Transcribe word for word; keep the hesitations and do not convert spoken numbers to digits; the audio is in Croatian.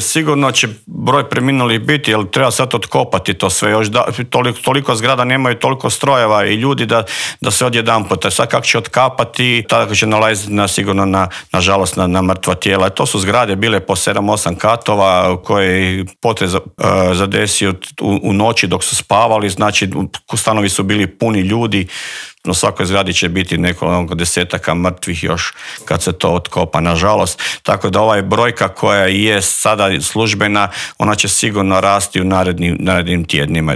Sigurno će broj preminulih biti, jer treba sad otkopati to sve. Još da, toliko, toliko zgrada nemaju toliko strojeva i ljudi da, da se odjedanput. Sad kako će otkapati, tako će nalaziti na, sigurno na, nažalost na, na mrtva tijela. To su zgrade bile po sedam osam katova koje potres uh, zadesio u, u noći dok su spavali, znači stanovi su bili puni ljudi. Na svakoj zgradi će biti nekoliko desetaka mrtvih još kad se to otkopa, nažalost. Tako da ovaj brojka koja je sada službena, ona će sigurno rasti u narednim, narednim tjednima.